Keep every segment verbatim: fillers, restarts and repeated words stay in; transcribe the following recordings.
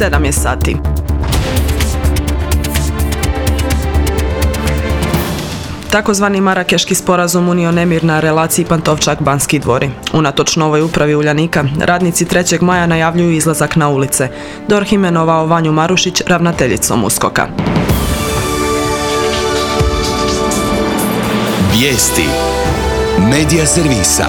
sedam je sati. Takozvani Marakeški sporazum unio nemir na relaciji Pantovčak-Banski dvori. Unatoč novoj upravi Uljanika, radnici trećeg maja najavljuju izlazak na ulice. D O R H imenovao Vanju Marušić ravnateljicom USKOK-a. Vijesti Medija servisa.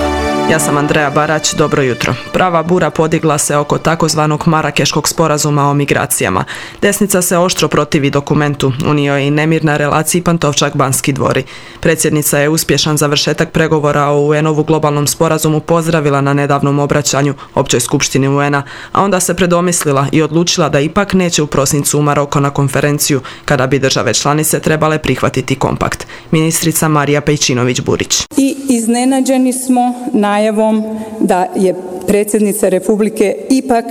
Ja sam Andreja Barać, dobro jutro. Prava bura podigla se oko takozvanog Marakeškog sporazuma o migracijama. Desnica se oštro protivi dokumentu, unio je i nemir na relaciji Pantovčak-Banski dvori. Predsjednica je uspješan završetak pregovora o U N-ovu globalnom sporazumu pozdravila na nedavnom obraćanju Općoj skupštini U N-a, a onda se predomislila i odlučila da ipak neće u prosincu u Maroko na konferenciju kada bi države članice trebale prihvatiti kompakt. Ministrica Marija Pejčinović-Burić. I iznenađeni smo najavom da je predsjednica Republike ipak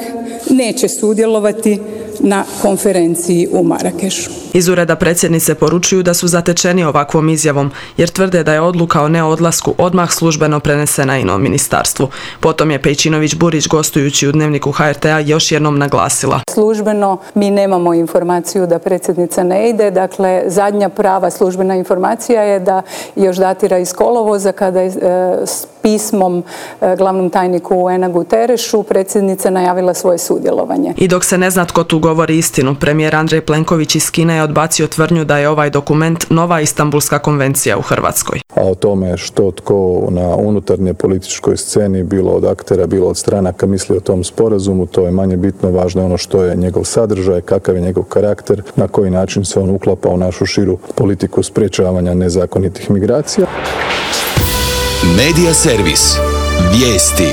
neće sudjelovati na konferenciji u Marakešu. Iz ureda predsjednice poručuju da su zatečeni ovakvom izjavom, jer tvrde da je odluka o neodlasku odmah službeno prenesena i na ministarstvu. Potom je Pejčinović-Burić gostujući u Dnevniku H R T-a još jednom naglasila. Službeno mi nemamo informaciju da predsjednica ne ide, dakle zadnja prava službena informacija je da još datira iz kolovoza kada je e, s pismom e, glavnom tajniku U N-a Guterešu predsjednica najavila svoje sudjelovanje. I dok se ne zna tko tu govori istinu, premijer Andrej Plenković iz Kine je odbacio tvrdnju da je ovaj dokument nova Istanbulska konvencija u Hrvatskoj. A o tome što tko na unutarnje političkoj sceni, bilo od aktera, bilo od stranaka, misli o tom sporazumu, to je manje bitno. Važno je ono što je njegov sadržaj, kakav je njegov karakter, na koji način se on uklapa u našu širu politiku sprečavanja nezakonitih migracija. Medija servis. Vijesti.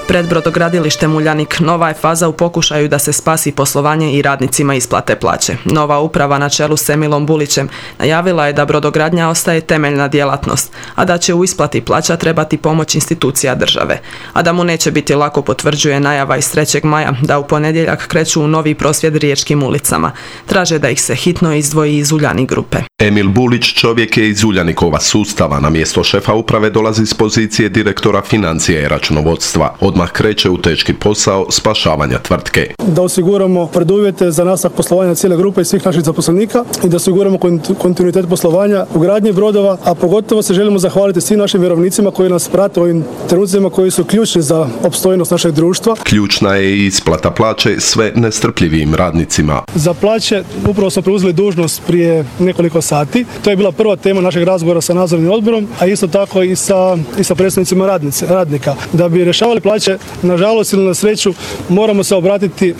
Pred brodogradilištem Uljanik nova je faza u pokušaju da se spasi poslovanje i radnicima isplate plaće. Nova uprava na čelu s Emilom Bulićem najavila je da brodogradnja ostaje temeljna djelatnost, a da će u isplati plaća trebati pomoć institucija države. A da mu neće biti lako potvrđuje najava iz trećeg maja da u ponedjeljak kreću u novi prosvjed riječkim ulicama. Traže da ih se hitno izdvoji iz Uljanik grupe. Emil Bulić čovjek je iz Uljanikova sustava, na mjesto šefa uprave dolazi s pozicije direktora financija i računovodstva. Odmah kreće u teški posao spašavanja tvrtke. Da osiguramo preduvjete za nastavak poslovanja cijele grupe i svih naših zaposlenika i da osiguramo kontinuitet poslovanja u gradnji brodova, a pogotovo se želimo zahvaliti svim našim vjerovnicima koji nas prate u ovim trenucima koji su ključni za opstojnost našeg društva. Ključna je i isplata plaće sve nestrpljivijim radnicima. Za plaće upravo smo preuzeli dužnost prije nekoliko sati. To je bila prva tema našeg razgovora sa nadzornim odborom, a isto tako i sa, i sa predstavnicima radnice, radnika. Da bi rješavali plaće, nažalost ili na sreću, moramo se obratiti e,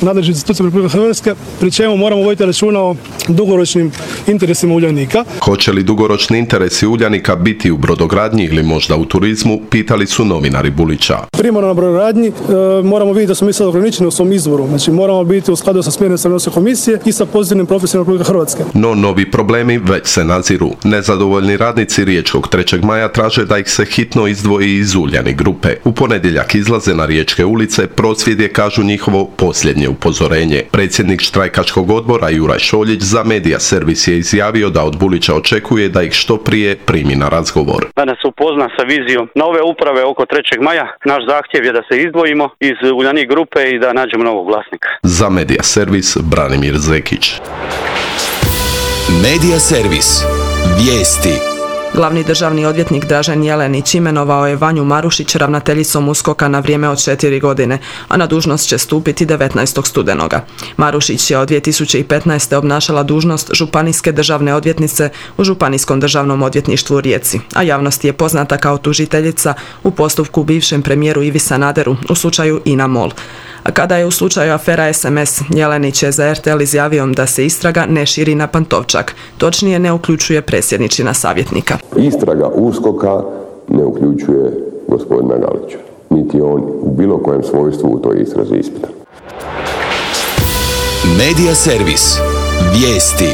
nadležnim institucijama Republike Hrvatske, pri čemu moramo voditi računa o dugoročnim interesima Uljanika. Hoće li dugoročni interesi Uljanika biti u brodogradnji ili možda u turizmu, pitali su novinari Bulića. Primarno na brodogradnji e, moramo vidjeti da smo mi sad ograničeni u svom izvoru. Znači moramo biti u skladu sa smjernicama Europske komisije i sa pozitivnim propisima Republike Hrvatske. No novi problemi već se naziru. Nezadovoljni radnici riječkog trećeg maja traže da ih se hitno izdvoji iz Uljanik grupe. U ponedjeljak izlaze na riječke ulice, prosvjed je, kažu, njihovo posljednje upozorenje. Predsjednik štrajkačkog odbora Juraj Šoljić za Medija servis je izjavio da od Bulića očekuje da ih što prije primi na razgovor. Da nas upozna sa vizijom nove uprave oko trećeg maja. Naš zahtjev je da se izdvojimo iz Uljanik grupe i da nađemo novog vlasnika. Za Medija servis Branimir Zekić. Medija servis. Vijesti. Glavni državni odvjetnik Dražen Jelenić imenovao je Vanju Marušić ravnateljicom USKOK-a na vrijeme od četiri godine, a na dužnost će stupiti devetnaestog studenoga. Marušić je od dvije tisuće petnaeste. obnašala dužnost županijske državne odvjetnice u Županijskom državnom odvjetništvu u Rijeci, a javnosti je poznata kao tužiteljica u postupku bivšem premijeru Ivi Sanaderu u slučaju INA MOL. A kada je u slučaju afera es em es, Jelenić je za er te el izjavio da se istraga ne širi na Pantovčak, točnije ne uključuje predsjedničina savjetnika. Istraga USKOK-a ne uključuje gospodina Galića, niti on u bilo kojem svojstvu u toj istrazi ispita. Medija servis. Vijesti.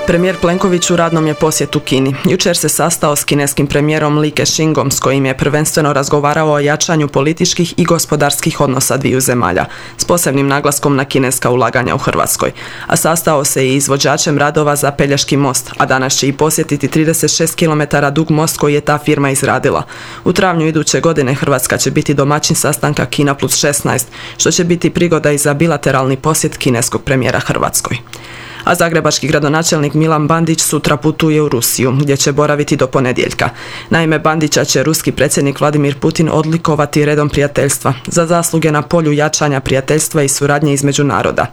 Premijer Plenković u radnom je posjetu Kini. Jučer se sastao s kineskim premijerom Li Kexingom s kojim je prvenstveno razgovarao o jačanju političkih i gospodarskih odnosa dviju zemalja, s posebnim naglaskom na kineska ulaganja u Hrvatskoj. A sastao se i izvođačem radova za Pelješki most, a danas će i posjetiti trideset šest kilometara dug most koji je ta firma izradila. U travnju iduće godine Hrvatska će biti domaćin sastanka Kina plus šesnaest, što će biti prigoda i za bilateralni posjet kineskog premijera Hrvatskoj. A zagrebački gradonačelnik Milan Bandić sutra putuje u Rusiju, gdje će boraviti do ponedjeljka. Naime, Bandića će ruski predsjednik Vladimir Putin odlikovati redom prijateljstva za zasluge na polju jačanja prijateljstva i suradnje između naroda.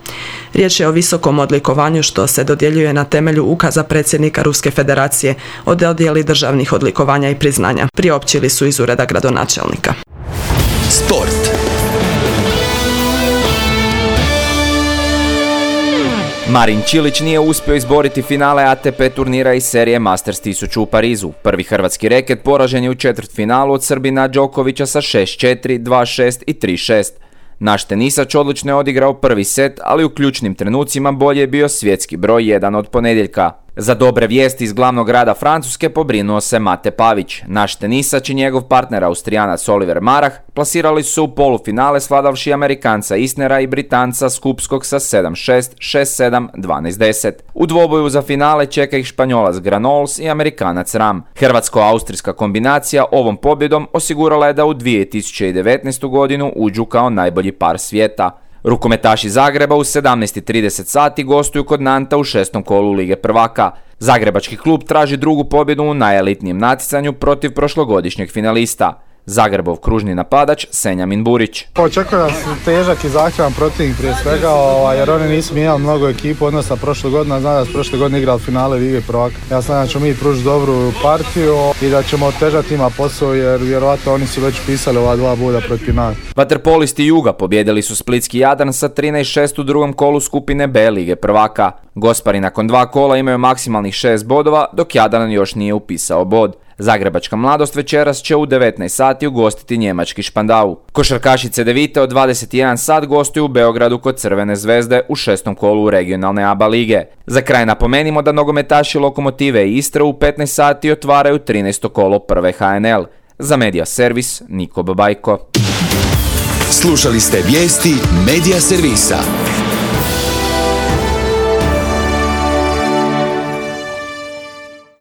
Riječ je o visokom odlikovanju što se dodjeljuje na temelju ukaza predsjednika Ruske federacije o dodjeli državnih odlikovanja i priznanja. Priopćili su iz ureda gradonačelnika. Sport. Marin Čilić nije uspio izboriti finale A T P turnira iz serije Masters tisuću u Parizu. Prvi hrvatski reket poražen je u četvrtfinalu od Srbina Đokovića sa šest četiri, dva šest i tri šest. Naš tenisač odlično je odigrao prvi set, ali u ključnim trenucima bolje je bio svjetski broj jedan od ponedjeljka. Za dobre vijesti iz glavnog grada Francuske pobrinuo se Mate Pavić. Naš tenisač i njegov partner Austrijanac Oliver Marah plasirali su u polufinale svladavši Amerikanca Isnera i Britanca Skupskog sa sedam šest, šest sedam, dvanaest deset. U dvoboju za finale čeka ih Španjolac Granols i Amerikanac Ram. Hrvatsko-austrijska kombinacija ovom pobjedom osigurala je da u dvije tisuće devetnaestu godinu uđu kao najbolji par svijeta. Rukometaši Zagreba u sedamnaest i trideset sati gostuju kod Nanta u šestom kolu Lige prvaka. Zagrebački klub traži drugu pobjedu u najelitnijem natjecanju protiv prošlogodišnjeg finalista. Zagrebov kružni napadač Senjamin Burić. Očekujem težak i zahtjevan protivnik prije svega, jer oni nisu mijenjali mnogo ekipu odnosno prošle godine, znam da su prošle godine igrali finale Lige prvaka. Ja znam da ćemo mi pružiti dobru partiju i da ćemo otežati ima posao jer vjerovatno oni su već pisali ova dva boda protiv nas. Vaterpolisti Juga pobjedili su splitski Jadran sa trinaest šest u drugom kolu skupine B Lige prvaka. Gospari nakon dva kola imaju maksimalnih šest bodova, dok Jadran još nije upisao bod. Zagrebačka mladost večeras će u devetnaest sati ugostiti njemački Špandau. Košarkaši Cedevite od dvadeset jedan sat gostuju u Beogradu kod Crvene zvezde u šestom kolu regionalne A B A lige. Za kraj napomenimo da nogometaši Lokomotive i Istre u petnaest sati otvaraju trinaesto kolo prve H N L. Za Medija Servis, Niko Babajko. Slušali ste vijesti Medija Servisa.